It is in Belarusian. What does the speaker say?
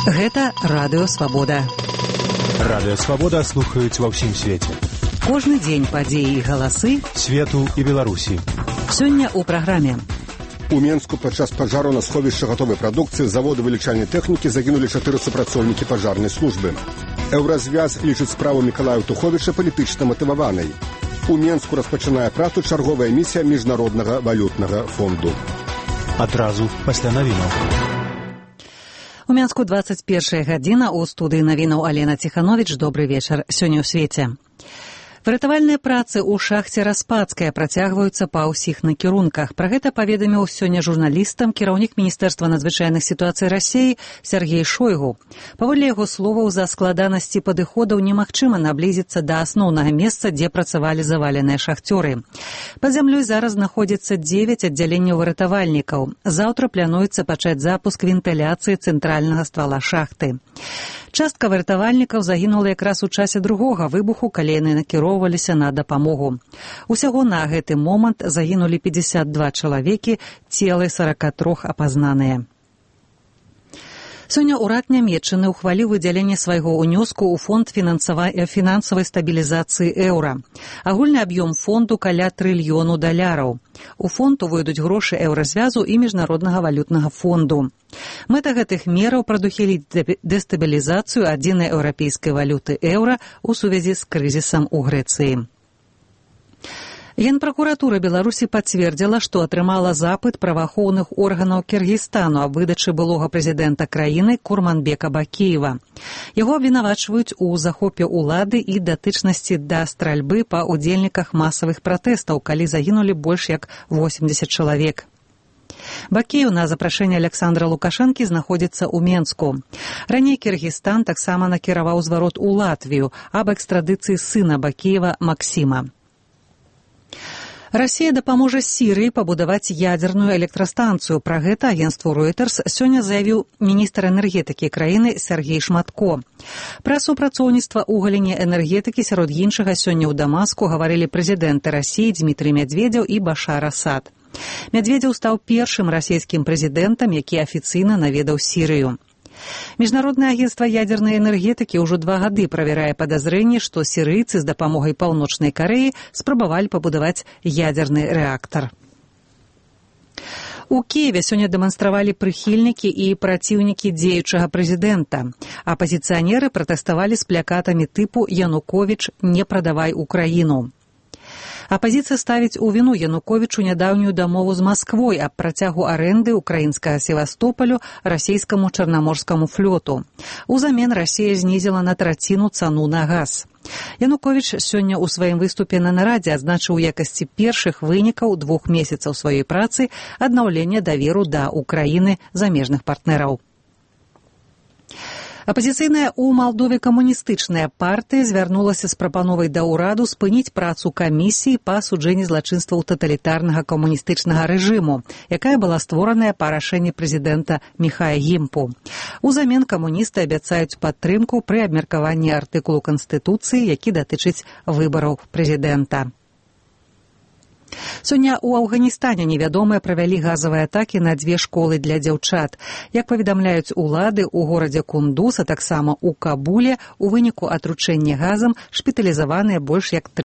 Гэта Радыё Свабода. Радыё Свабода слухаюць ва ўсім свеце. Кожны дзень падзеі і галасы свету і Беларусі. Сёння ў праграме. У Менску падчас пажару на сховішча гатовай прадукцыі заводу вылічальнай тэхнікі загінулі 4 супрацоўнікі пажарнай службы. Еўразвяз лічыць справу Мікалая Туховіча палітычна матываванай. У Менску распачынае працу чарговая місія Міжнароднага валютнага фонду. Адразу пасля навінаў. У Менску 21 гадзіна, у студыі навінаў Алена Ціхановіч. Добры вечар. Сёння ў свеце. Выратавальныя працы ў шахце Распадская працягваюцца па ўсіх накірунках. Пра гэта паведаміў сёння журналістам кіраўнік Міністэрства надзвычайных сітуацый Расіі Сергей Шойгу. Паводле яго словаў, за складанасці падыходаў немагчыма наблізіцца да асноўнага месца, дзе працавалі заваленыя шахцёры. Пад зямлёй зараз знаходзіцца 9 аддзяленняў выратавальнікаў. Заўтра плануецца пачаць запуск вентыляцыі цэнтральнага ствала шахты. Частка выратавальнікаў загінула якраз у часе другога выбуху, калі яны накіроўваліся на дапамогу. Усяго на гэты момант загінулі 52 чалавекі, целы 43 апазнаныя. Сёння ўрад Нямецчыны ўхваліў выдзяленне свайго ўнёску ў фонд фінансавай стабілізацыі еўра. Агульны аб'ём фонду каля $1 трыльёна. У фонд увойдуць грошы еўразвязу і Міжнароднага валютнага фонду. Мэта гэтых мераў прадухіліць дэстабілізацыю адзінай еўрапейскай валюты еўра ў сувязі з крызісам у Грэцыі. Генпракуратура Беларусі пацвердзіла, што атрымала запыт праваахоўных органаў Кіргізстану аб выдачы былога прэзідэнта краіны Курманбека Бакіева. Яго абвінавачваюць у захопе ўлады і датычнасці да стральбы па ўдзельніках масавых пратэстаў, калі загінулі больш як 80 чалавек. Бакіеў на запрашэнне Александра Лукашэнкі знаходзіцца ў Менску. Раней Кіргізстан таксама накіраваў зварот у Латвію аб экстрадыцыі сына Бакіева Максіма. Расія дапаможа Сірыі пабудаваць ядзерную электрастанцыю. Пра гэта агенцтву Reuters сёння заявіў міністр энергетыкі краіны Сергей Шматко. Пра супрацоўніцтва ў галіне энергетыкі сярод іншага сёння ў Дамаску гаварылі прэзідэнты Расіі Дмітрый Медведзеў і Башар Асад. Медведзеў стаў першым расійскім прэзідэнтам, які афіцыйна наведаў Сірыю. Міжнароднае агенцтва ядзернай энергетыкі ўжо 2 гады правярае падазрэнні, што сірыйцы з дапамогай Паўночнай Карэі спрабавалі пабудаваць ядзерны рэактар. У Кіеве сёння дэманстравалі прыхільнікі і праціўнікі дзеючага прэзідэнта. Апазіцыянеры пратэставалі з плакатамі тыпу «Януковіч, не прадавай Украіну». Апазіцыя ставіць у віну Януковічу нядаўнюю дамову з Масквой аб працягу арэнды украінскага Севастополю расійскаму чарнаморскаму флоту. Узамен Расія знізіла на 1/3 цану на газ. Януковіч сёння ў сваім выступе на нарадзе адзначыў у якасці першых вынікаў 2 месяцаў сваёй працы аднаўлення даверу да Украіны замежных партнераў. Апазіцыйная ў Малдове камуністычная партыя звярнулася з прапановай да ўраду спыніць працу камісіі па асуджэнні злачынстваў таталітарнага камуністычнага рэжыму, якая была створаная па рашэнні прэзідэнта Міхая Гімпу. Узамен камуністы абяцаюць падтрымку пры абмеркаванні артыкулу Канстытуцыі, які датычыць выбараў прэзідэнта. Сёння ў Афганістане невядомыя правялі газавыя атакі на 2 школы для дзяўчат. Як паведамляюць улады, у горадзе Кундуз, а таксама ў Кабуле у выніку атручэння газам шпіталізаваныя больш як